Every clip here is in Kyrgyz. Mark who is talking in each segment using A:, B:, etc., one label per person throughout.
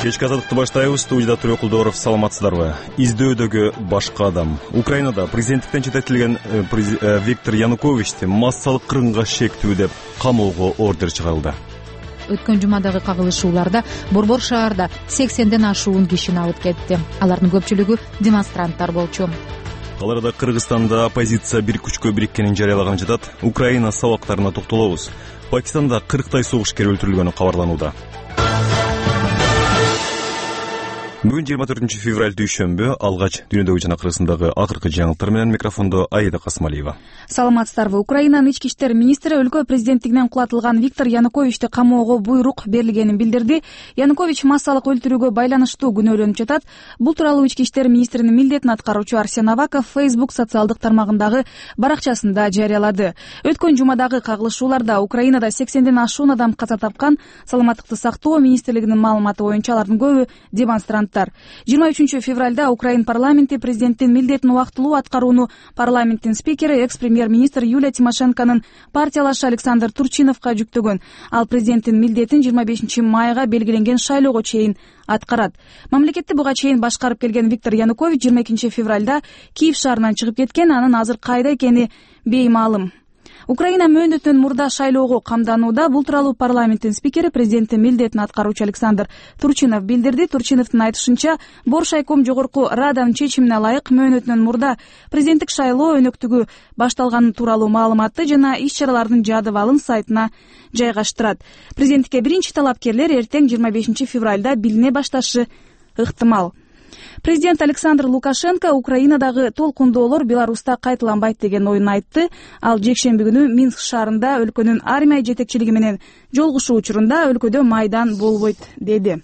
A: Кечки азаттыкты баштайбыз. Студияда Төрөкулдоров. Саламатсыздарбы? Издөөдөгү башка адам. Украинада президенттиктен чететилген Виктор Януковичти массалык кыргынга шектүү деп камоого ордер чыгарылды.
B: Өткөн жумадагы кагылышууларда Борбор шаарда 80ден ашуун кишини алып кетти. Алардын көпчүлүгү демонстранттар болчу.
A: Ал арада Кыргызстанда оппозиция бир күчкө бириккенин жарыялаган жатат. Украина сабактарына токтолобуз. Пакистанда 40 согушкер өлтүрүлгөнү кабарланууда. Бүгүн 24 февраль дүйшөмбү. Алгач дүйнөдөгү жана Кыргызстандагы акыркы жаңылыктар менен микрофондо Аида Касмалиева.
C: Саламатсыздарбы? Украинанын ички иштер министри өлкө президенттигинен кулатылган Виктор Януковичти камоого буйрук берилгенин билдирди. Янукович массалык өлтүрүүгө байланыштуу күнөөлөнүп жатат. Бул тууралуу ички иштер министринин милдетин аткаруучу Арсен Аваков Facebook социалдык тармагындагы баракчасында жарыялады. Өткөн жумадагы кагылышууларда Украинада 80ден ашуун адам каза тапкан. Саламаттыкты сактоо министрлигинин маалыматы боюнча алардын көбү демонстрант. 23 февралда Украин парламенти президенттин милдетин убактылуу аткарууну парламенттин спикери экс-премьер-министр Юлия Тимошенконун партиялашы Александр Турчиновго жүктөгөн. Ал президенттин милдетин 25 майга белгиленген шайлоого чейин аткарат. Мамлекетти буга чейин башкарып келген Виктор Янукович 22 февралда Киев шаарынан чыгып кеткен. Анын азыр кайда экени беймаалым. Украина мөөнөтүнөн мурда шайлоого камданууда. Бул тууралуу парламенттин спикери президенттин милдетин аткаруучу Александр Турчинов билдирди. Турчиновдун айтышынча, Боршайком жогорку раданын чечимине ылайык мөөнөтүнөн мурда президенттик шайлоо өнөктүгү башталганы тууралуу маалыматты жана иш-чаралардын жадыбалын сайтына жайгаштырат. Президенттикке биринчи талапкерлер эртең 25 февралда билине башташы ыктымал. Президент Александр Лукашенко Украинадагы толкундоолор Беларуста кайталанбайт деген оюн айтты. Ал жекшемби күнү Минск шаарында өлкөнүн армия жетекчилиги менен жолугушуу учурунда өлкөдө майдан болбойт деди.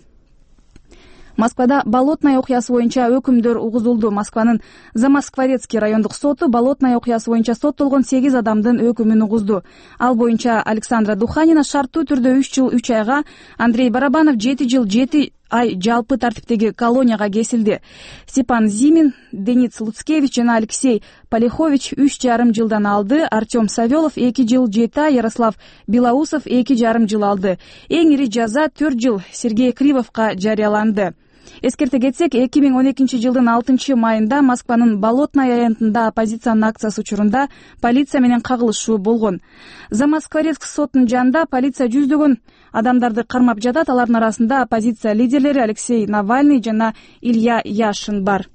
C: Москвада Болотная окуясы боюнча өкүмдөр угузулду. Москванын Замоскворецкий райондук соту Болотная окуясы боюнча соттолгон 8 адамдын өкүмүн угузду. Ал боюнча Александра Духанина шарттуу түрдө 3 жыл 3 айга, Андрей Барабанов 7 жыл 7 ай жалпы тартиптеги колонияга кесилди. Степан Зимин, Денис Луцкевич жана Алексей Полихович 3,5 жылдан алды. Артем Савелов 2 жыл 7 ай, Ярослав Белоусов 2,5 жыл алды. Эң ири жаза 4 жыл Сергей Кривовго жарыяланды. Эскерте кетсек, 2012 жылдын 6 майында Москванын Болотная аянтында оппозициянын акциясы учурунда полиция менен кагылышуу болгон. Замоскворецк сотунун жанында полиция жүздөгөн адамдарды кармап жатат. Алардын арасында оппозиция лидерлери Алексей Навальный жана Илья Яшин бар.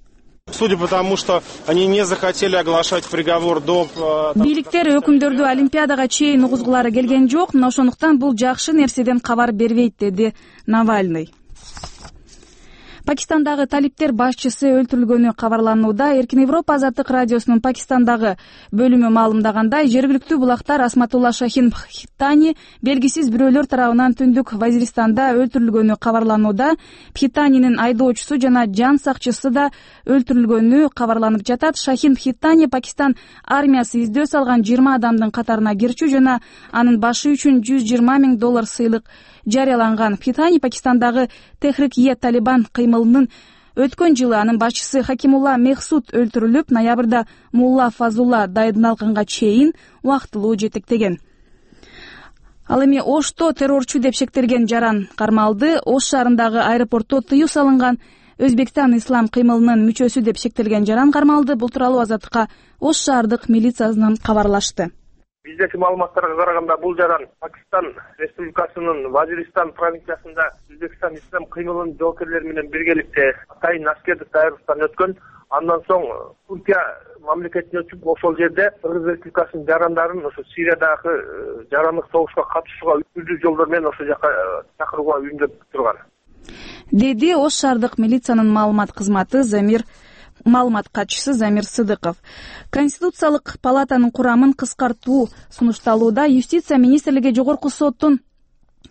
D: Судя по тому, что они не захотели оглашать приговор до...
C: Бийликтер өкүмдөрдү Олимпиадага чейин угузгулары келген жок, мына ошондуктан бул жакшы нерседен кабар бербейт, деди Навальный. Пакистандагы талиптер башчысы өлтүрүлгөнү кабарланууда. Эркин Европа азаттык радиосунун Пакистандагы бөлүмү маалымдагандай, жергиликтүү булактар Асматулла Шахин Бхитани белгисиз бирөөлөр тарабынан түндүк Вазиристанда өлтүрүлгөнү кабарланууда. Бхитанинин айдоочусу жана жан сакчысы да өлтүрүлгөнү кабарланып жатат. Шахин Бхитани Пакистан армиясы издөө салган 20 адамдын катарына кирчү жана анын башы үчүн $120 000 сыйлык жарыяланган. Бхитани Пакистандагы Техрик-е Талибан кыймылынын өткөн жылы анын башчысы Хакимулла Мехсуд өлтүрүлүп, ноябрда Мулла Фазулла дайындалганга чейин убактылуу жетектеген. Ал эми Ошто террорчу деп шектелген жаран кармалды. Ош шаарындагы аэропортто тыюу салынган Өзбекстан ислам кыймылынын мүчөсү деп шектелген жаран кармалды. Бул тууралуу Азаттыкка Ош шаардык милициясынан кабарлашты.
D: Биздеги маалыматтарга караганда бул жаран Пакистан Республикасынын Вазиристан провинциясында Өзбекстан ислам кыймылынын жоокерлери менен биргеликте атайын аскердик даярдыктан өткөн. Андан соң Туркия мамлекетине өтүп, ошол жерде Кыргыз Республикасынын жарандарын ошо Сириядагы жарандык согушка катышууга түрдүү жолдор менен ошол жака чакырууга үйүндөп турган,
C: деди Ош шаардык милициянын маалымат кызматы маалымат катчысы Замир Сыдыков. Конституциялык палатанын курамын кыскартуу сунушталууда. Юстиция министрлиги жогорку соттун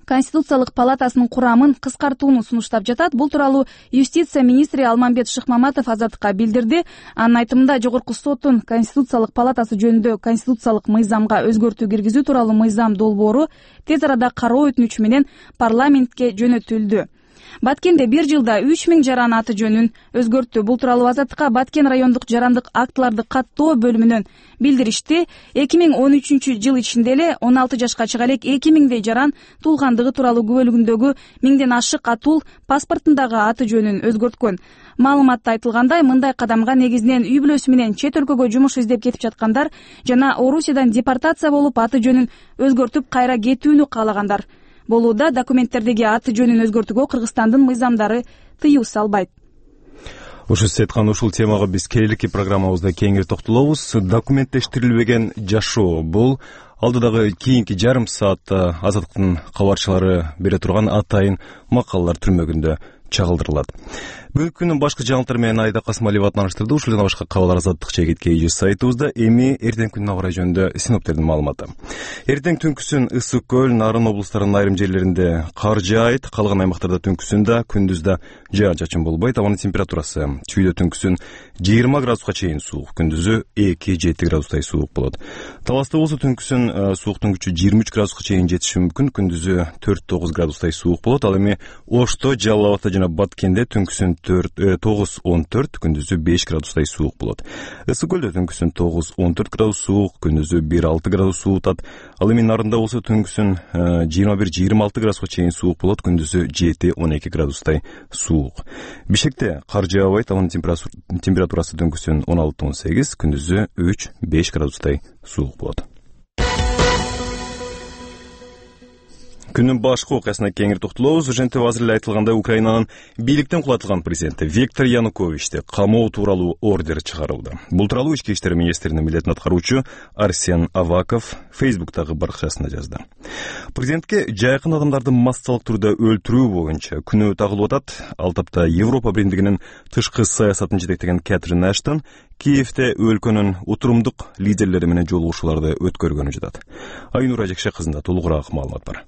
C: Конституциялык палатасынын курамын кыскартууну сунуштап жатат. Бул тууралуу юстиция министри Алмамбет Шыкмаматов Азаттыкка билдирди. Анын айтымында, жогорку соттун Конституциялык палатасы жөнүндө конституциялык мыйзамга өзгөртүү киргизүү тууралуу мыйзам долбоору тез арада кароо өтүнүчү менен парламентке жөнөтүлдү. Баткенде бир жылда 3000 жаран аты жөнүн өзгөрттү. Бул тууралуу Азаттыкка Баткен райондук жарандык актыларды каттоо бөлүмүнөн билдиришти. 2013 жыл ичинде эле 16 жашка чыга элек 2000дей жаран туулгандыгы тууралуу күбөлүгүндөгү 1000ден ашык атул паспортундагы аты жөнүн өзгөрткөн. Маалыматта айтылгандай, мындай кадамга негизинен үй бүлөсү менен чет өлкөгө жумуш издеп кетип жаткандар жана Орусиядан депортация болуп аты жөнүн өзгөртүп кайра кетүүнү каалагандар болууда. Документтердеги аты жөнүн өзгөртүүгө Кыргызстандын мыйзамдары тыюу салбайт.
A: Ушул Сеткан, ушул темага биз келелики программабызда кеңири токтолобуз. Документтештирилбеген жашоо — бул алдыдагы кийинки жарым саатта Азаттыктын кабарчылары бере турган атайын макалалар түрмөгүндө чагылдырылат. Бүгүнкү күндүн башкы жаңылыктары менен Айда Касымалиева тааныштырды. Ушул жана башка кабарлар Азаттык чегит.kz сайтыбызда. Эми эртең күнүнө карай жөнүндө синоптиктердин маалыматы. Эртең түнкүсүн Ысык көл, Нарын облустарынын айрым жерлеринде кар жаайт, калган аймактарда түнкүсүндө, күндүздө жаан-чачын болбойт. Абанын температурасы чүйдө түнкүсүн 20 градуска чейин суук, күндүзү 2-7 градустай суук болот. Таласта болсо түнкүсүн сууктун күчү 23 градуска чейин жетиши мүмкүн, күндүзү 4-9 градустай суук болот. Ал эми Ошто, Жалал Абадта жана Баткенде түнкүсүн 9-14, күндүзү 5 градустай суук болот. Ысык көлдө түнкүсүн 9-14 градус суук, күндүзү 1-6 градус суутат. Ал эми Нарында болсо түнкүсүн 21-26 градуска чейин суук болот, күндүзү 7-12 градустай суук. Бишкекте кар жаабайт, анын температурасы түнкүсүн 16-18, күндүзү 3-5 градустай суук болот. Күнүн башкы окуясына кеңири токтолобуз. ЖНТ азыр эле айтылгандай, Украинанын бийликтен кулатылган президенти Виктор Януковичти камоо тууралуу ордер чыгарылды. Бул тууралуу Ички иштер министринин милдетин аткаруучу Арсен Аваков Фейсбуктагы баракчасында жазды. Президентке жайкын адамдарды массалык түрдө өлтүрүү боюнча күнөө тагылып атат. Ал тапта Европа биримдигинин тышкы саясатын жетектеген Кэтрин Эштон Киевте өлкөнүн утурумдук лидерлери менен жолугушууларды өткөргөнү жатат. Айнура Жекше кызында толугураак маалымат бар.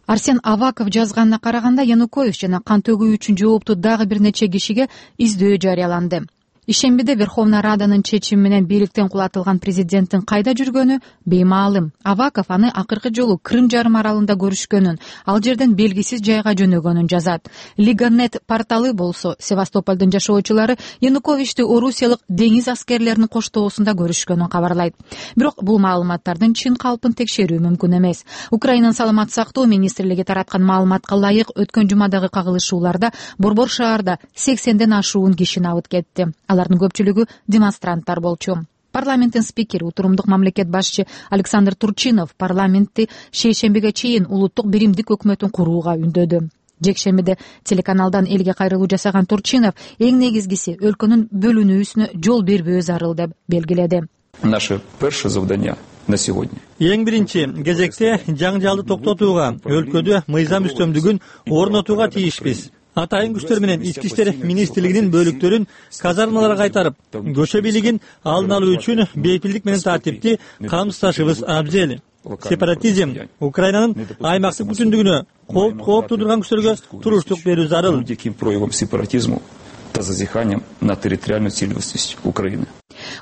B: Арсен Аваков жазганына караганда, Янукович жана кан төгүү үчүн жооптуу дагы бир нече кишиге издөө жарыяланды. Ишембиде Верховная Раданын чечими менен бийликтен кулатылган президенттин кайда жүргөнү беймаалым. Аваков аны акыркы жолу Крым жарым аралында көрүшкөнүн, ал жерден белгисиз жайга жөнөгөнүн жазат. Лига.нет порталы болсо Севастополдун жашоочулары Януковичти орусиялык деңиз аскерлеринин коштоосунда көрүшкөнүн кабарлайт. Бирок бул маалыматтардын чын калпын текшерүү мүмкүн эмес. Украинанын саламаттык сактоо министрлиги тараткан маалыматка ылайык, өткөн жумадагы кагылышууларда Борбор шаарда 80ден ашуун киши набыт кетти. Алардын көпчүлүгү демонстранттар болчу. Парламенттин спикери, утурумдук мамлекет башчы Александр Турчинов парламентти шейшембиге чейин улуттук биримдик өкмөтүн курууга үндөдү. Жекшембиде телеканалдан элге кайрылуу жасаган Турчинов эң негизгиси өлкөнүн бөлүнүүсүнө жол бербөө зарыл деп белгиледи.
E: Наше перше завдання на сегодня.
F: Эң биринчи кезекте жаңжалды токтотууга, өлкөдө мыйзам үстөмдүгүн орнотууга тийишпиз. Атайын күчтөр менен Ички иштер министрлигинин бөлүктөрүн казармаларга кайтарып, көчө бийлигин алдын алуу үчүн бейпилдик менен тартипти камсыздашыбыз абзел. Сепаратизм Украинанын аймактык бүтүндүгүнө кооп туудурган күчтөргө туруштук берүү зарыл.
E: Проявом сепаратизму та зазыханием на территориальную целостность Украины.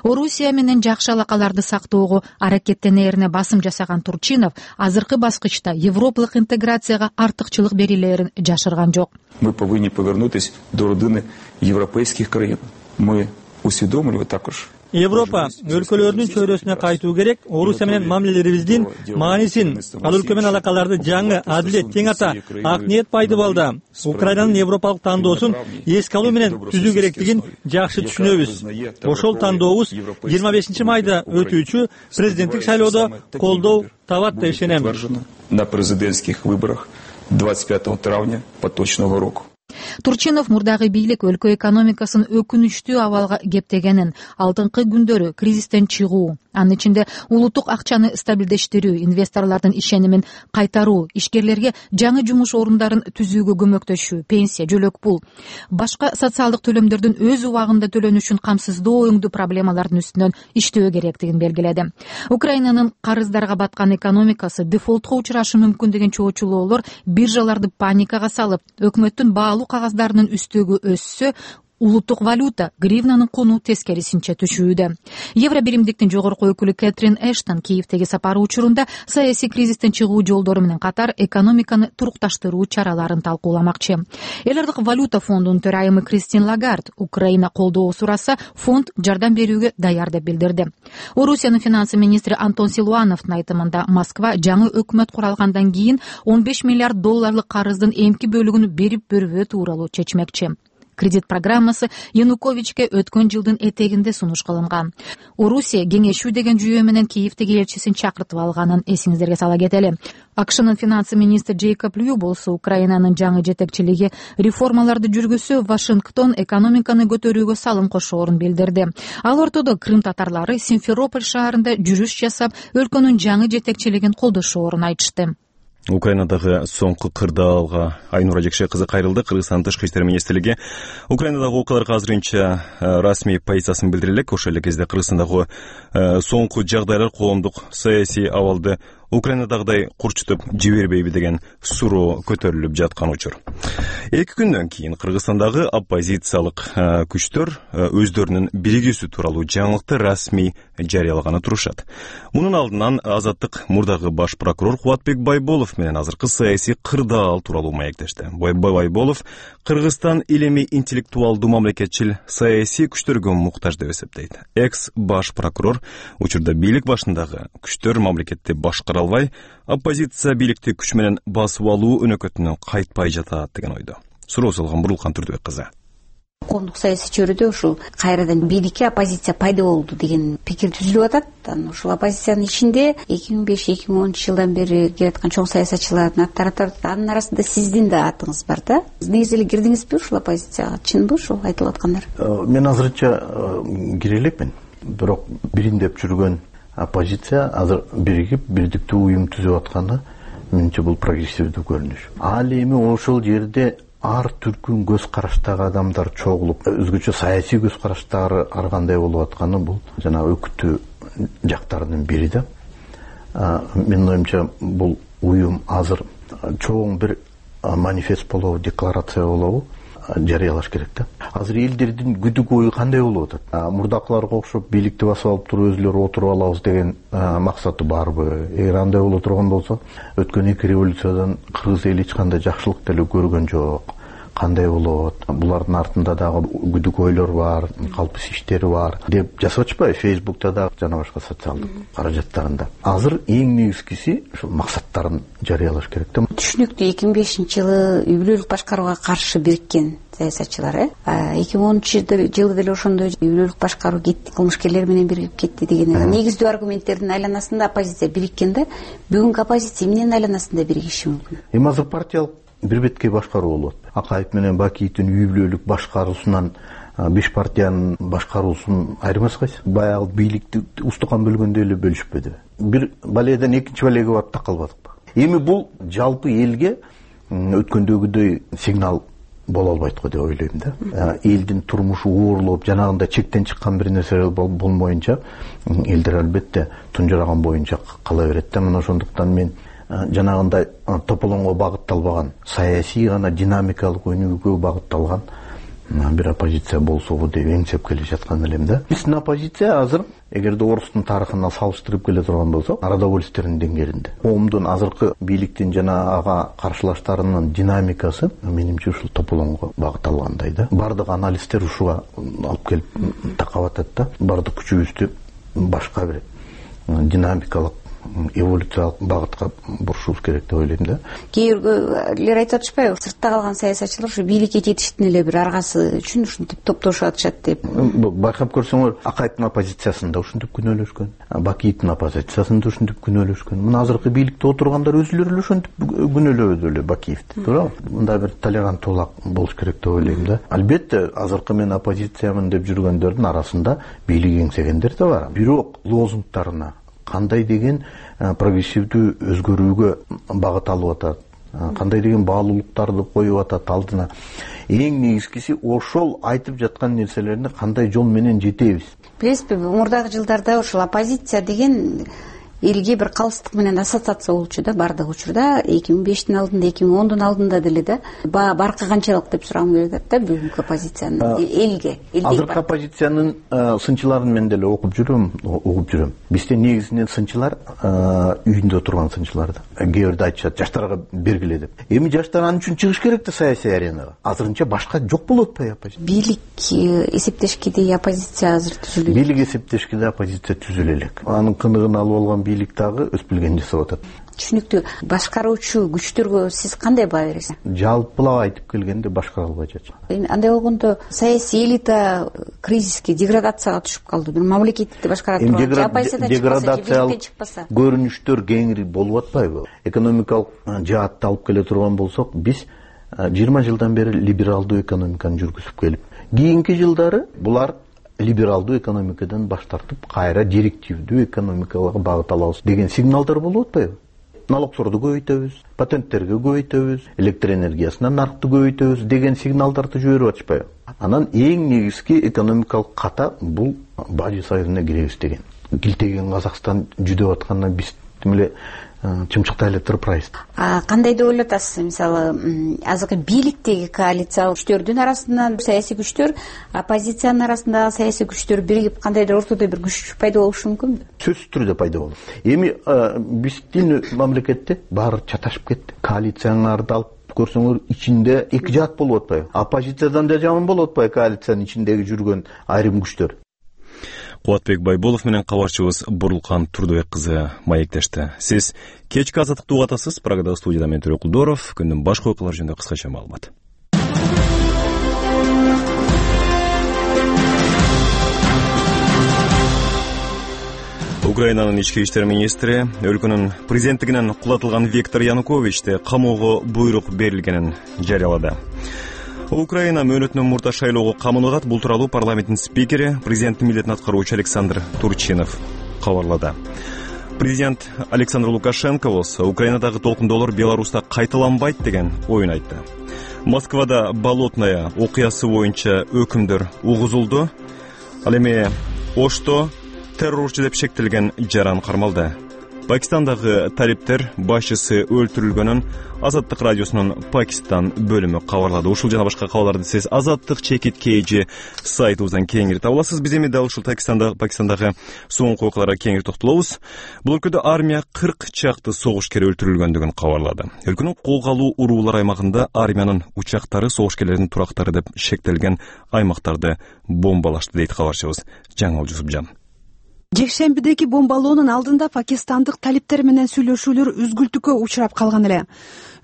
B: Орусия менен жакшы алакаларды сактоого аракеттенерине басым жасаган Турчинов азыркы баскычта европалык интеграцияга артыкчылык берилерин жашырган жок.
E: Мы повинні повернутися до родини європейських країн. Ми усвідомлюємо також.
F: Европа өлкөлөрүнүн чөйрөсүнө кайтуу керек. Орусия менен мамилелерибиздин маанисин, ал өлкө менен алакаларды жаңы, адилет, тең ата, ак ниет пайды балда Украинанын европалык тандоосун эске алуу менен түзүү керектигин жакшы түшүнөбүз. Ошол тандообуз 25 майда өтүүчү президенттик шайлоодо колдоо табат деп ишенем.
E: На президентских выборах 25 травня поточного року.
B: Турчинов мурдагы бийлик өлкө экономикасын өкүнүчтүү абалга кептегенин, алдыңкы күндөрү кризистен чыгуу, анын ичинде улуттук акчаны стабилдештирүү, инвесторлордун ишенимин кайтаруу, ишкерлерге жаңы жумуш орундарын түзүүгө көмөктөшүү, пенсия, жөлөк пул, башка социалдык төлөмдөрдүн өз убагында төлөнүшүн камсыздоо өңдүү проблемалардын үстүнөн иштөө керектигин белгиледи. Украинанын карыздарга баткан экономикасы дефолтко учурашы мүмкүн деген чоочулоолор биржаларды паникага салып, өкмөттүн баалуу кагаздарынын үстөгү өссө, улуттук валюта гривнанын куну тескерисинче түшүүдө. Евро биримдиктин жогорку өкүлү Кэтрин Эштон Киевдеги сапары учурунда саясий кризистен чыгуу жолдору менен катар экономиканы турукташтыруу чараларын талкууламакчы. Эл аралык валюта фондунун төрайымы Кристин Лагард Украина колдоо сураса, фонд жардам берүүгө даяр деп билдирди. Орусиянын финансы министри Антон Силуановдун айтымында Москва жаңы өкмөт куралгандан кийин 15 миллиард долларлык карыздын эмки бөлүгүн берип бербөө тууралуу чечмекчи. Кредит программасы Януковичке өткөн жылдын этегинде сунуш кылынган. Орусия кеңешүү деген жүйө менен Киевдеги элчисин чакыртып алганын эсиңиздерге сала кетели. АКШнын финансы министри Джейкоб Лью болсо Украинанын жаңы жетекчилиги реформаларды жүргүзсө Вашингтон экономиканы көтөрүүгө салым кошоорун билдирди. Ал ортодо Крым татарлары Симферополь шаарында жүрүш жасап, өлкөнүн жаңы жетекчилигин колдошоорун айтышты.
A: Украинадагы соңку кырдаалга Айнура Жекше кызы кайрылды. Кыргызстандын тышкы иштер министрлиги Украинадагы окуяларга азырынча расмий позициясын билдире элек. Ошол эле кезде Кыргызстандагы соңку жагдайлар коомдук саясий абалды Украинадагыдай курчутуп жибербейби деген суроо көтөрүлүп жаткан учур. 2 күндөн кийин Кыргызстандагы оппозициялык күчтөр өздөрүнүн биригүүсү тууралуу жаңылыкты расмий жарыялаганы турушат. Мунун алдынан Азаттык мурдагы баш прокурор Кубатбек Байболов менен азыркы саясий кырдаал тууралуу маектешти. Байболов Кыргызстан илемий интеллектуалдуу мамлекетчил саясий күчтөргө муктаж деп эсептейт. Экс баш прокурор учурда бийлик башындагы күчтөр мамлекетти башкара албай, оппозиция бийликти күч менен басып алуу өнөкөтүнөн кайтпай жатат деген ойдо. Суроо салган Бурлукан Турдубек кызы.
G: Коомдук саясий чөйрөдө ушул кайрадан бийликке оппозиция пайда болду деген пикир түзүлүп атат. Ушул оппозициянын ичинде 2005-2010 жылдан бери келаткан чоң саясатчылардын аттары турат. Анын арасында сиздин да атыңыз бар да. Негизи эле кирдиңизби ушул оппозицияга? Чынбы ушул айтылып аткандар?
H: Мен азырынча кире элекмин. Бирок бириндеп жүргөн оппозиция азыр биригип бирдиктүү уюм түзүп атканы менимче бул прогрессивдүү көрүнүш. Ал эми ошол жерде ар түркүн көз караштагы адамдар чогулуп, өзгөчө саясий көз караштагы ар кандай болуп атканы бул жана өкүтүү жактарынын бири да. Менин оюмча бул уюм азыр чоң бир манифест болобу, декларация болобу жарыялаш керек да. Азыр элдердин күдүк ою кандай болуп атат? Мурдакыларга окшоп бийликти басып алып туруп өзүлөрү отуруп алабыз деген максаты барбы? Эгер андай боло турган болсо, өткөн 2 революциядан кыргыз эли эч кандай жакшылык деле көргөн жок. Кандай болот? Булардын артында дагы күдүк ойлор бар, калпыс иштери бар деп жазып атышпайбы Facebook'та да жана башка социалдык каражаттарында. Азыр эң негизгиси ушул максаттарын жарыялаш керек да.
G: Түшүнүктүү 2005-жылы үй бүлөлүк башкарууга каршы бириккен саясатчылар 2010 жылы деле ошондой үй бүлөлүк башкаруу кетти, кылмышкерлер менен биригип кетти деген негиздүү аргументтердин айланасында оппозиция бириккен да. Бүгүнкү оппозиция эмненин айланасында биригиши мүмкүн?
H: Эми азыр партиялык бир бетке башкаруу болот. Акаев менен Бакиевдин үй бүлөлүк башкаруусунан 5 партиянын башкаруусун айырмасы кайсы? Баягы бийликти устукан бөлгөндө эле бөлүшпөдү. Бир балеядан экинчи балеге барып такалбадыкпы? Эми бул жалпы элге өткөндөгүдөй сигнал боло албайт го деп ойлойм да. Элдин турмушу оорлоп, жанагындай чектен чыккан бир нерсе болмоюнча элдер албетте тунжураган боюнча кала берет да. Мына ошондуктан мен жанагындай тополоңго багытталбаган, саясий гана динамикалык өнүгүүгө багытталган бир оппозиция болсобу деп эңсеп келе жаткан элем да. Биздин оппозиция азыр эгерде орустун тарыхына салыштырып келе турган болсок, народовольствонун деңгээлинде. Коомдун азыркы бийликтин жана ага каршылаштарынын динамикасы менимче ушул тополоңго багытталгандай да. Бардык анализдер ушуга алып келип такап атат да. Бардык күчүбүздү башка бир динамикалык эволюциялык багытка бурушубуз керек деп ойлойм да.
G: Кээ бирлер айтып атышпайбы? Сыртта калган саясатчылар ушу бийликке жетиштин эле бир аргасы үчүн ушинтип топтошуп атышат деп.
H: Байкап көрсөңөр, Акаевдин оппозициясында ушинтип күнөөлөшкөн, Бакиевдин оппозициясында ушинтип күнөөлөшкөн. Мына азыркы бийликте отургандар өзүлөрү эле ушинтип күнөөлөдү эле Бакиевди, туурабы? Мындай бир толеранттуулук болуш керек деп ойлойм да. Албетте, азыркы мен оппозициямын деп жүргөндөрдүн арасында бийлик эңсегендер да бар. Бирок лозунгтарына кандай деген прогрессивдүү өзгөрүүгө багыт алып атат, кандай деген баалуулуктарды коюп атат алдына. Эң негизгиси ошол айтып жаткан нерселерине кандай жол менен жетебиз.
G: Билесизби, мурдагы жылдарда ошол оппозиция деген элге бир калыстык менен ассоциация болчу да баардык учурда 2005-тин алдында 2010-дун алдында деле да баркы канчалык деп сурагым келип атат да бүгүнкү оппозициянын элге.
H: Азыркы оппозициянын сынчыларын мен деле угуп жүрөм. Бизде негизинен сынчылар үйүндө турган сынчылар да. Кээ бирде айтышат жаштарга бергиле деп. Эми жаштар анын үчүн чыгыш керек да саясий аренага. Азырынча башка жок болуп атпайбы оппозиция?
G: Бийлик эсептешкиде оппозиция азыр түзүлөт.
H: Бийлик эсептешкиде оппозиция түзүлө элек. Анын кыныгын алып алган бийлик дагы өз билгенин жасап атат.
G: Түшүнүктүү. Башкаруучу күчтөргө сиз кандай баа бересиз?
H: Жалпылап айтып келгенде башкара албай жатат.
G: Андай болгондо саясий элита кризиске, деградацияга түшүп калды. Бир мамлекетти башкара турган
H: деградациялык көрүнүштөр кеңири болуп атпайбы? Экономикалык жаатты алып келе турган болсок, биз 20 жылдан бери либералдуу экономиканы жүргүзүп келип, кийинки жылдары булар либералдуу экономикадан баш тартып, кайра директивдүү экономикага багыт алабыз деген сигналдар болуп атпайбы? Налогторду көбөйтөбүз, патенттерге көбөйтөбүз, электр энергиясына наркты көбөйтөбүз деген сигналдарды жиберип атышпайбы? Анан эң негизги экономикалык ката бул Бажы союзуна киребиз деген. Килтеген Казакстан жүдөп аткандан биз эле чымчыктай эле турпайбыз.
G: Кандай деп ойлоп атасыз? Мисалы, азыркы бийликтеги коалиция күчтөрдүн арасынан саясий күчтөр, оппозициянын арасындагы саясий күчтөр биригип кандайдыр ортодо бир күч пайда болушу мүмкүнбү?
H: Сөзсүз түрдө пайда болот. Эми биздин мамлекетте баары чаташып кетти. Коалицияларды алып көрсөңөр, ичинде эки жаат болуп атпайбы? Оппозициядан да жаман болуп атпайбы коалициянын ичиндеги жүргөн айрым күчтөр?
A: Кубатбек Байболов менен кабарчыбыз Бурулкан Турдубек кызы маектешти. Сиз кечки азаттыкты угуп атасыз. Прагада студияда мен Төрөкул Доров. Күндүн башка окуялары жөнүндө кыскача маалымат. Украинанын ички иштер министри өлкөнүн президенттигинен кулатылган Виктор Януковичти камоого буйрук берилгенин жарыялады. Украина мөөнөтүнөн мурда шайлоого камынагат. Бул тууралуу парламенттин спикери, президенттин милдетин аткаруучу Александр Турчинов кабарлады. Президент Александр Лукашенко болсо Украинадагы толкундоолор Беларуста кайталанбайт деген оюн айтты. Москвада Болотная окуясы боюнча өкүмдөр угузулду. Ал эми Ошто террорчу деп шектелген жаран кармалды. Пакистандагы талиптер башчысы өлтүрүлгөнүн Азаттык радиосунун Пакистан бөлүмү кабарлады. Ушул жана башка кабарларды сиз Азаттык ЧКТ сайтыбыздан кеңири таба аласыз. Биз эми дал ушул Пакистандагы соңку окуяларга кеңири токтолобуз. Бул өлкөдө армия 40 чакты согушкер өлтүрүлгөндүгүн кабарлады. Өлкөнүн колго алуу уруулар аймагында армиянын учактары согушкерлердин турактары деп шектелген аймактарды бомбалашты дейт кабарчыбыз Жаңыл Жусупжан.
I: Жекшембидеги бомбалоонун алдында пакистандык талиптер менен сүйлөшүүлөр үзгүлтүккө учурап калган эле.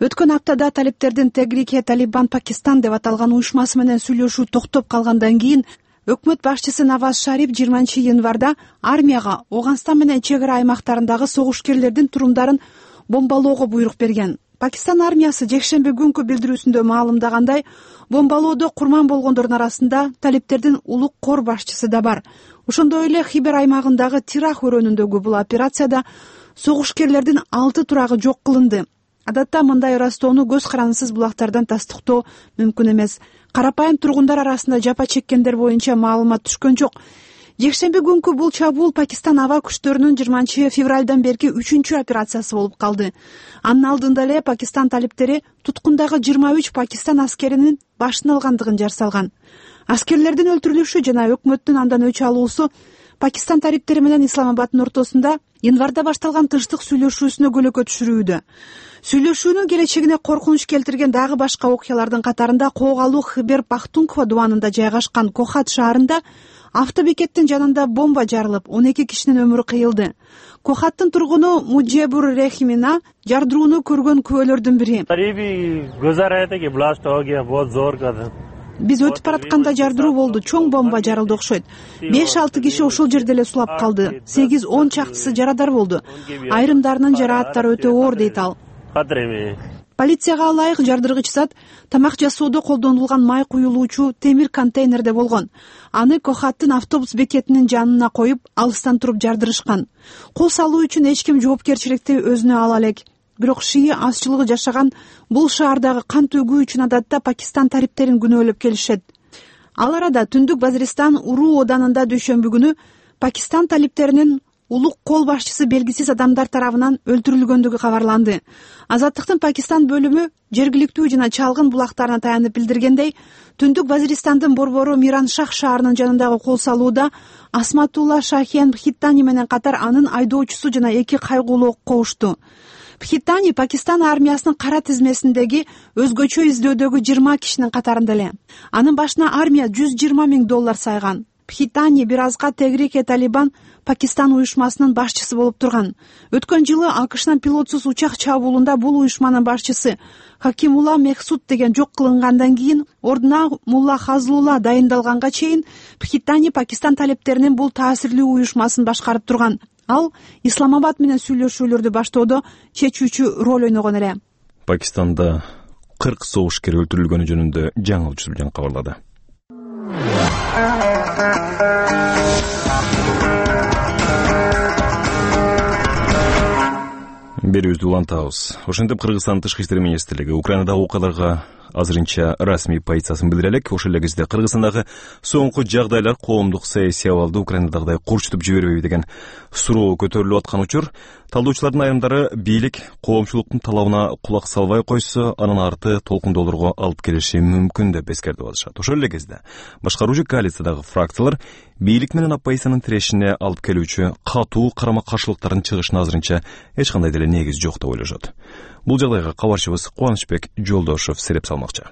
I: Өткөн аптада талиптердин Тегрике Талибан Пакистан деп аталган уюшмасы менен сүйлөшүү токтоп калгандан кийин өкмөт башчысы Наваз Шариф 20-январда армияга Оганстан менен чек ара аймактарындагы согушкерлердин турумдарын бомбалоого буйрук берген. Пакистан армиясы жекшемби күнкү билдирүүсүндө маалымдагандай, бомбалоодо курман болгондордун арасында талиптердин улук кор башчысы да бар. Ошондой эле Хибер аймагындагы Тирах өрөөнүндөгү бул операцияда согушкерлердин 6 турагы жок кылынды. Адатта мындай ырастоону көз карандысыз булактардан тастыктоо мүмкүн эмес. Карапайым тургундар арасында жапа чеккендер боюнча маалымат түшкөн жок. Жекшемби күнкү бул чабуул Пакистан аба күчтөрүнүн 20-февралдан берки 3-чү операциясы болуп калды. Анын алдында эле Пакистан талиптери туткундагы 23 Пакистан аскеринин башын алгандыгын жар салган. Аскерлердин өлтүрүлүшү жана өкмөттүн андан өч алуусу Пакистан талиптери менен Исламабаддын ортосунда январда башталган тынчтык сүйлөшүүсүнө көлөкө түшүрүүдө. Сүйлөшүүнүн келечегине коркунуч келтирген дагы башка окуялардын катарында Когалуу Хибер Пахтунква дубанында жайгашкан Кохат шаарында автобекеттин жанында бомба жарылып, 12 кишинин өмүрү кыйылды. Кохаттын тургуну Муджебур Рехимина жардырууну көргөн күбөлөрдүн бири. Биз өтүп баратканда жардыруу болду, чоң бомба жарылды окшойт. 5-6 киши ошол жерде эле сулап калды. 8-10 чактысы жарадар болду. Айрымдарынын жарааттары өтө оор дейт ал. Полицияга ылайык жардыргыч зат тамак жасоодо колдонулган май куюлуучу темир контейнерде болгон. Аны Кохаттын автобус бекетинин жанына коюп, алыстан туруп жардырышкан. Кол салуу үчүн эч ким жоопкерчиликти өзүнө ала элек. Бирок шии азчылыгы жашаган бул шаардагы кан төгүү үчүн адатта Пакистан талиптерин күнөөлөп келишет. Ал арада Түндүк Вазиристан Уруу оданында дүйшөмбү күнү Пакистан талиптеринин улук кол башчысы белгисиз адамдар тарабынан өлтүрүлгөндүгү кабарланды. Азаттыктын Пакистан бөлүмү жергиликтүү жана чалгын булактарына таянып билдиргендей, Түндүк Вазиристандын борбору Миран Шах шаарынын жанындагы кол салууда Асматулла Шахен Бхиттани менен катар анын айдоочусу жана 2 кайгулуу кобушту. Бхиттани Пакистан армиясынын кара тизмесиндеги өзгөчө издөдөгү 20 кишинин катарында эле. Анын башына армия $120 000 сайган. Бхиттани бир азга Тегрике Талибан Пакистан уюшмасынын башчысы болуп турган. Өткөн жылы АКШнын пилотсуз учак чабуулунда бул уюшманын башчысы Хакимулла Мехсуд деген жок кылынгандан кийин ордуна Мулла Хазлулла дайындалганга чейин Бхиттани Пакистан талептеринин бул таасирлүү уюшмасын башкарып турган. Ал Исламабад менен сүйлөшүүлөрдү баштоодо чечүүчү роль ойногон эле.
A: Пакистанда 40 согушкер өлтүрүлгөнү жөнүндө жаңы учур кабарлады. Берүүбүздү улантабыз. Ошентип Кыргызстан тышкы иштер министрлиги Украинадагы окуяларга азырынча расмий позициясын билдире элек. Ошол эле кезде Кыргызстандагы соңку жагдайлар коомдук саясий абалды Украинадагыдай курчутуп жибербейби деген суроо көтөрүлүп аткан учур. Талдоочулардын айрымдары бийлик коомчулуктун талабына кулак салбай койсо, анын арты толкундоолорго алып келиши мүмкүн деп эскертип атышат. Ошол эле кезде башкаруучу коалициядагы фракциялар бийлик менен оппозициянын тирешине алып келүүчү катуу карама-каршылыктардын чыгышына азырынча эч кандай деле негиз жок деп ойлошот. Бул жагдайга кабарчыбыз Кубанычбек Жолдошов сереп салмакчы.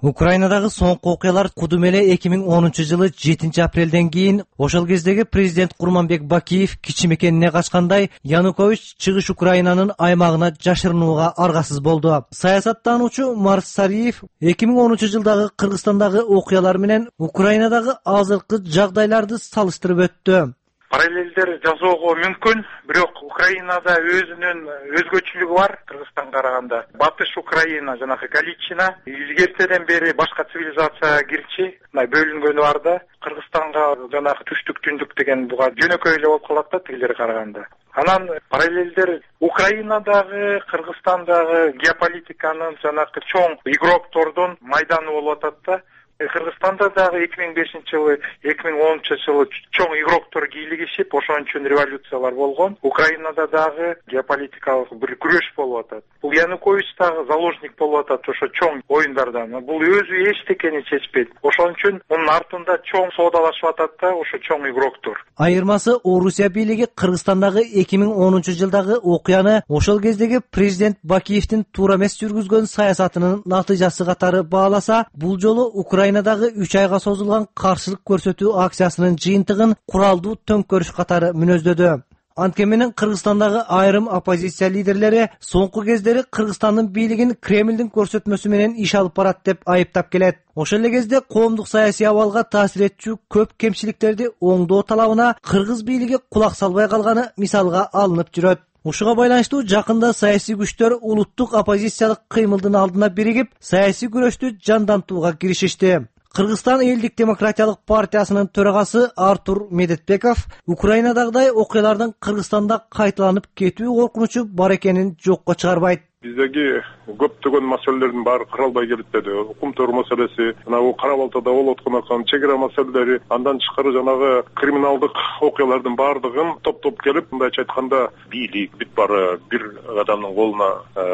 J: Украинадагы соңку окуялар кудум эле 2010 жылы 7 апрелден кийин ошол кездеги президент Курманбек Бакиев кичи мекенине качкандай Янукович чыгыш Украинанын аймагына жашырынууга аргасыз болду. Саясаттануучу Марс Сариев 2010 жылдагы Кыргызстандагы окуялар менен Украинадагы азыркы жагдайларды салыштырып өттү.
K: Параллелдер жасоого мүмкүн, бирок Украинада өзүнүн өзгөчөлүгү бар Кыргызстанга караганда. Батыш Украина жанагы Галичина илгертеден бери башка цивилизацияга кирчи, бөлүнгөнү бар да. Кыргызстанга жанагы түштүк түндүк деген буга жөнөкөй эле болуп калат да тилдери караганда. Анан параллелдер Украинадагы, Кыргызстандагы геополитиканын жанагы чоң игроктордун майданы болуп атат да. Кыргызстанда дагы 2005 жылы, 2010 жылы чоң игроктор кийлигишип, ошон үчүн революциялар болгон. Украинада дагы геополитикалык бир күрөш болуп атат. Бул Янукович дагы заложник болуп атат ошо чоң оюндардан. Бул өзү эчтекени чечпейт. Ошон үчүн мунун артында чоң соодалашып атат да ошо чоң игроктор.
J: Айырмасы Орусия бийлиги Кыргызстандагы 2010 жылдагы окуяны ошол кездеги президент Бакиевдин туура эмес жүргүзгөн саясатынын натыйжасы катары бааласа, бул жолу Украинадагы 3 айга созулган каршылык көрсөтүү акциясынын жыйынтыгын куралдуу төңкөрүш катары мүнөздөдү. Анткени менен Кыргызстандагы айрым оппозиция лидерлери соңку кездери Кыргызстандын бийлигин Кремлдин көрсөтмөсү менен иш алып барат деп айыптап келет. Ошол эле кезде коомдук саясий абалга таасир этчү көп кемчиликтерди оңдоо талабына кыргыз бийлиги кулак салбай калганы мисалга алынып жүрөт. Ушуга байланыштуу жакында саясий күчтөр улуттук оппозициялык кыймылдын алдына биригип, саясий күрөштү жандантууга киришишти. Кыргызстан элдик демократиялык партиясынын төрагасы Артур Медетбеков Украинадагыдай окуялардын Кыргызстанда кайталанып кетүү коркунучу бар экенин жокко чыгарбайт.
L: Биздеги көптөгөн маселелердин баары каралбай келет деди. Укмтор маселеси, жанагы Кара Балтада болуп аткан чегара маселелери, андан тышкары жанагы криминалдык окуялардын баардыгын топтоп келип, мындайча айтканда, бийлик бүт баары бир адамдын колуна,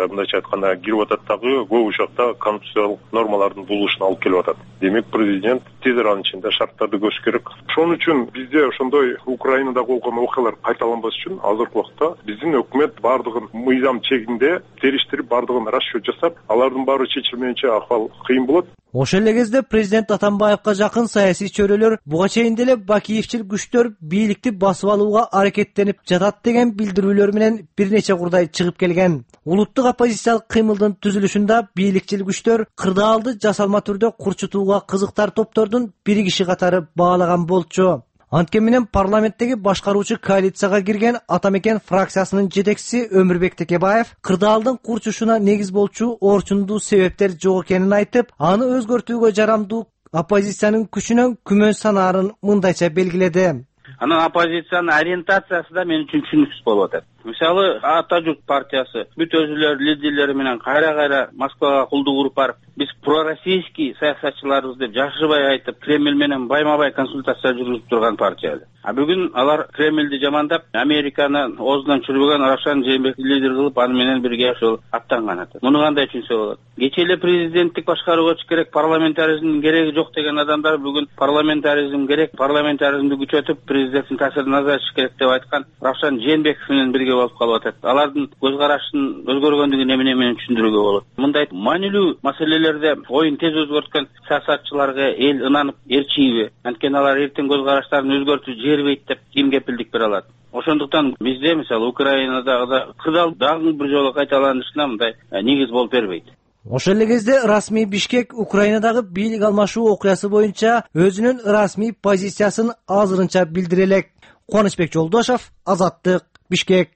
L: мындайча айтканда, кирип атат дагы көп учакта конституциялык нормалардын булушуна алып келип атат. Демек, президент тез аранын ичинде шарттарды көзүш керек. Ошон үчүн бизде ошондой Украинадагы болгон окуялар кайталанбаш үчүн азыркы убакта биздин өкмөт баардыгын мыйзам чегинде териштирип баардыгын расчет жасап, алардын баары чечилмейинче акыбал кыйын болот.
J: Ошол эле кезде президент Атамбаевка жакын саясий чөйрөлөр буга чейин деле Бакиевчил күчтөр бийликти басып алууга аракеттенип жатат деген билдирүүлөр менен бир нече курдай чыгып келген. Улуттук оппозициялык кыймылдын түзүлүшүндө бийликчил күчтөр кырдаалды жасалма түрдө курчутууга кызыктар топтордун биригиши катары баалаган болчу. Анткени менен парламенттеги башкаруучу коалицияга кирген Атамекен фракциясынын жетекчиси Өмүрбек Текебаев кырдаалдын курчушуна негиз болчу орчундуу себептер жок экенин айтып, аны өзгөртүүгө жарамдуу оппозициянын күчүнөн күмөн санаарын мындайча белгиледи.
M: Анан оппозициянын ориентациясы да мен үчүн түшүнүксүз болуп атат. Мисалы Ата журт партиясы бүт өзүлөр лидерлери менен кайра Москвага кулдук уруп барып, биз пророссийский саясатчыларыбыз деп жашырбай айтып, Кремль менен байма-бай консультация жүргүзүп турган партия. А бүгүн алар Кремльди жамандап, Американы оозунан чүрбөгөн Равшан Жээнбековди лидер кылып, аны менен бирге ошол аттанган атат. Муну кандай түшүнсө болот? Кечээ эле президенттик башкарууга керек, парламентаризмдин кереги жок деген адамдар бүгүн парламентаризм керек, парламентаризмди күчөтүп, президенттин таасирин азайтыш керек деп айткан Равшан Жээнбеков менен бирге болуп калып атат. Алардын көз карашынын өзгөргөндүгүн эмне менен түшүндүрүүгө болот? Мындай маанилүү маселелерде оюн тез өзгөрткөн саясатчыларга эл ынанып ээрчийби? Анткени алар эртең көз караштарын өзгөртүп жибербейт деп ким кепилдик бере алат? Ошондуктан бизде мисалы Украинадагы кырдаал дагы бир жолу кайталанышына мындай негиз болуп бербейт.
J: Ошол эле кезде расмий Бишкек Украинадагы бийлик алмашуу окуясы боюнча өзүнүн расмий позициясын азырынча билдире элек. Кубанычбек Жолдошов, Азаттык, Бишкек.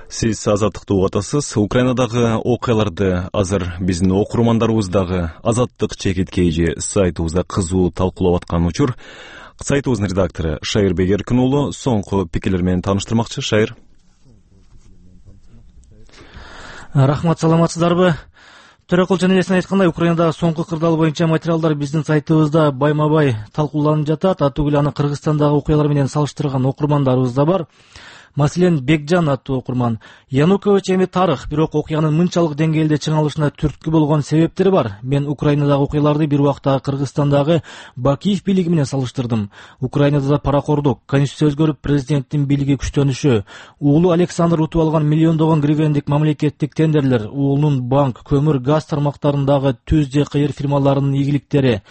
A: Сиз Азаттыкты угуп атасыз. Украинадагы окуяларды азыр биздин окурмандарыбыз дагы Азаттык чекиткейжи сайтыбызда кызуу талкуулап аткан учур. Сайтыбыздын редактору Шайырбек Эркин уулу соңку пикирлер менен тааныштырмакчы. Шайыр.
N: Рахмат, саламатсыздарбы? Төрөкул жана элесин айткандай, Украинадагы соңку кырдаал боюнча материалдар биздин сайтыбызда байма-бай талкууланып жатат. Атүгүл аны Кыргызстандагы окуялар менен салыштырган окурмандарыбыз да бар. Маселен, Бекжан аттуу окурман: Янукович эми тарых, бирок окуянын мынчалык деңгээлде чыңалышына түрткү болгон себептери бар. Мен Украинадагы окуяларды бир убакта Кыргызстандагы Бакиев бийлиги менен салыштырдым. Украинада да паракордук, конституция өзгөрүп, президенттин бийлиги күчтөнүшү, уулу Александр утуп алган миллиондогон гривендик мамлекеттик тендерлер, уулунун банк, көмүр, газ тармактарындагы түз же кыйыр фирмаларынын ийгиликтери.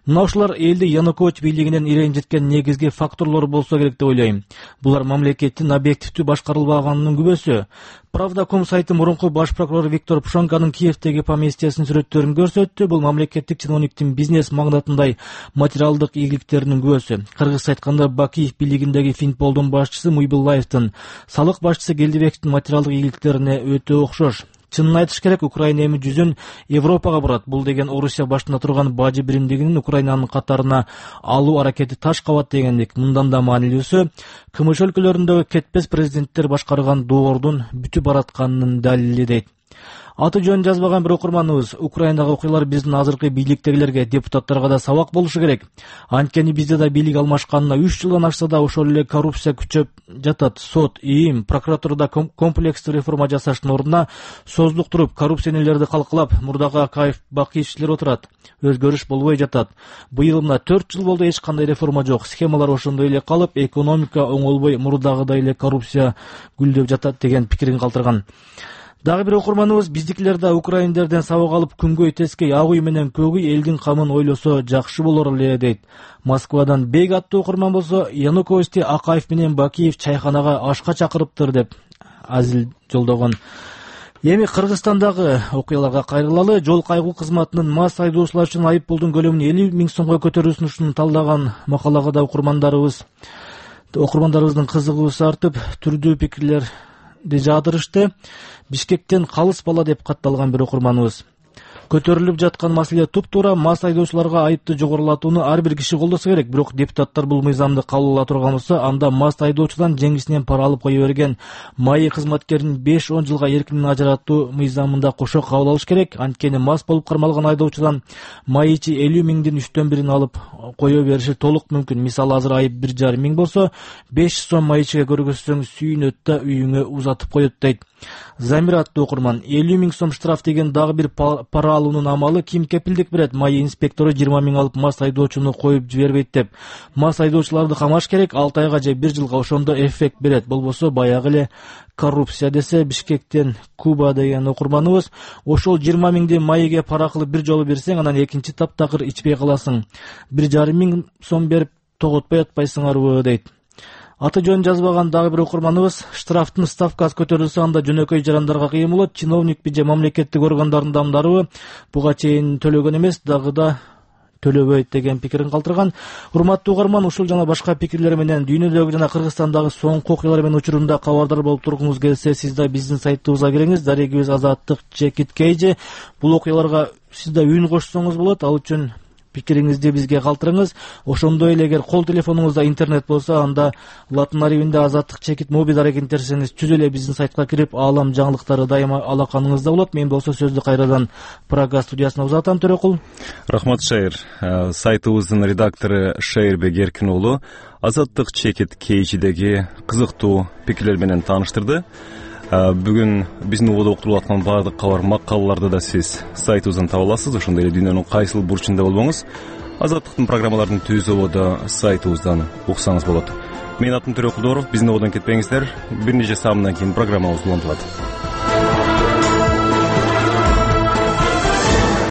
N: Мына ушулар элди Янукович бийлигинен иренжиткен негизги факторлор болсо керек деп ойлойм. Булар мамлекеттин объективдүү башкарылбаганынын күбөсү. Правда.com сайты мурунку баш прокурор Виктор Пшонканын Киевдеги поместьясынын сүрөттөрүн көрсөттү. Бул мамлекеттик чиновниктин бизнес магнатындай материалдык ийгиликтеринин күбөсү. Кыргызча айтканда, Бакиев бийлигиндеги Финполдун башчысы Муйбуллаевдин, салык башчысы Келдибековдун материалдык ийгиликтерине өтө окшош. Чынын айтыш керек, Украина эми жүзүн Европага бурат. Бул деген Орусия башында турган бажы биримдигинин Украинанын катарына алуу аракети таш кабат дегендик. Мындан да маанилүүсү, КМШ өлкөлөрүндөгү кетпес президенттер башкарган доордун бүтүп баратканынын далили дейт. Аты жөнүн жазбаган бир окурманыбыз: Украинадагы окуялар биздин азыркы бийликтегилерге, депутаттарга да сабак болушу керек. Анткени бизде да бийлик алмашканына 3 жылдан ашса да ошол эле коррупция күчөп жатат. Сот, ИИМ, прокуратурада комплекстүү реформа жасаштын ордуна созулуктуруп, коррупционерлерди калкалап, мурдагы Акаев, Бакиевчилер отурат. Өзгөрүш болбой жатат. Быйыл мына 4 жыл болду, эч кандай реформа жок. Схемалар ошондой эле калып, экономика оңолбой, мурдагыдай эле коррупция гүлдөп жатат деген пикирин калтырган. Дагы бир окурманыбыз: биздикилер да украиндерден сабак алып, күнгөй тескей ак үй менен көк үй элдин камын ойлосо жакшы болор эле дейт. Москвадан Бег аттуу окурман болсо, Януковичти Акаев менен Бакиев чайханага ашка чакырыптыр деп азил жолдогон. Эми Кыргызстандагы окуяларга кайрылалы. Жол кайгуу кызматынын мас айдоочулар үчүн айып пулдун көлөмүн 50 000 сомго көтөрүү сунушун талдаган макалага да окурмандарыбыздын кызыгуусу артып, түрдүү пикирлерди жаадырышты. Бишкектен калыс бала деп катталган бир окурманыбыз: көтөрүлүп жаткан маселе туп-туура мас айдоочуларга айыпты жогорулатууну ар бир киши колдосо керек. Бирок депутаттар бул мыйзамды кабыл ала турган болсо, анда мас айдоочудан жеңгисинен пара алып кое берген МАИ кызматкерин 5-10 жылга эркинен ажыратуу мыйзамында кошо кабыл алыш керек. Анткени мас болуп кармалган айдоочудан МАИчи 50 000-дин 3/1 алып кое бериши толук мүмкүн. Мисалы, азыр айып 1,5 000 болсо, 500 сом МАИчиге көргөзсөң сүйүнөт да үйүңө узатып коет дейт. Замир аттуу окурман: 50 000 сом штраф деген дагы бир пара алуунун амалы ким кепилдик берет? МАИ инспектору 20 000 алып мас айдоочуну коюп жибербейт деп. Мас айдоочуларды камаш керек, 6 айга же 1 жылга, ошондо эффект берет. Болбосо баягы эле коррупция, десе Бишкектен Куба деген окурманыбыз: ошол 20 000ди МАИге пара кылып бир жолу берсең, анан экинчи таптакыр ичпей каласың. 1,5 000 сом берип тоготпой атпайсыңарбы дейт. Аты жөнүн жазбаган дагы бир окурманыбыз: штрафтын ставкасы көтөрүлсө, анда жөнөкөй жарандарга кыйын болот. Чиновникпи же мамлекеттик органдардын адамдарыбы буга чейин төлөгөн эмес, дагы да төлөбөйт деген пикирин калтырган. Урматтуу угарман, ушул жана башка пикирлер менен дүйнөдөгү жана Кыргызстандагы соңку окуялар менен учурунда кабардар болуп тургуңуз келсе, сиз да биздин сайтыбызга кириңиз. Дарегибиз Азаттык чекиткейжи. Бул окуяларга сиз да үн кошсоңуз болот. Ал үчүн пикириңизди бизге калтырыңыз. Ошондой эле эгер кол телефонуңузда интернет болсо, анда латын арабинде азаттык чекит мобил аракет терсеңиз түз эле биздин сайтка кирип, аалам жаңылыктары дайыма алаканыңызда болот. Мен болсо сөздү кайрадан Прага студиясына узатам. Төрөкул.
A: Рахмат, Шайыр. Сайтыбыздын редактору Шайырбек Эркин уулу азаттык чекит кейжидеги кызыктуу пикирлер менен тааныштырды. Бүгүн биздин убада уктурулуп аткан баардык кабар макалаларды да сиз сайтыбыздан таба аласыз. Ошондой эле дүйнөнүн кайсыл бурчунда болбоңуз, азаттыктын программаларын түз убада сайтыбыздан уксаңыз болот. Менин атым Төрөкул Дооров. Биздин убадан кетпеңиздер. Бир нече саамдан кийин программабыз улантылат.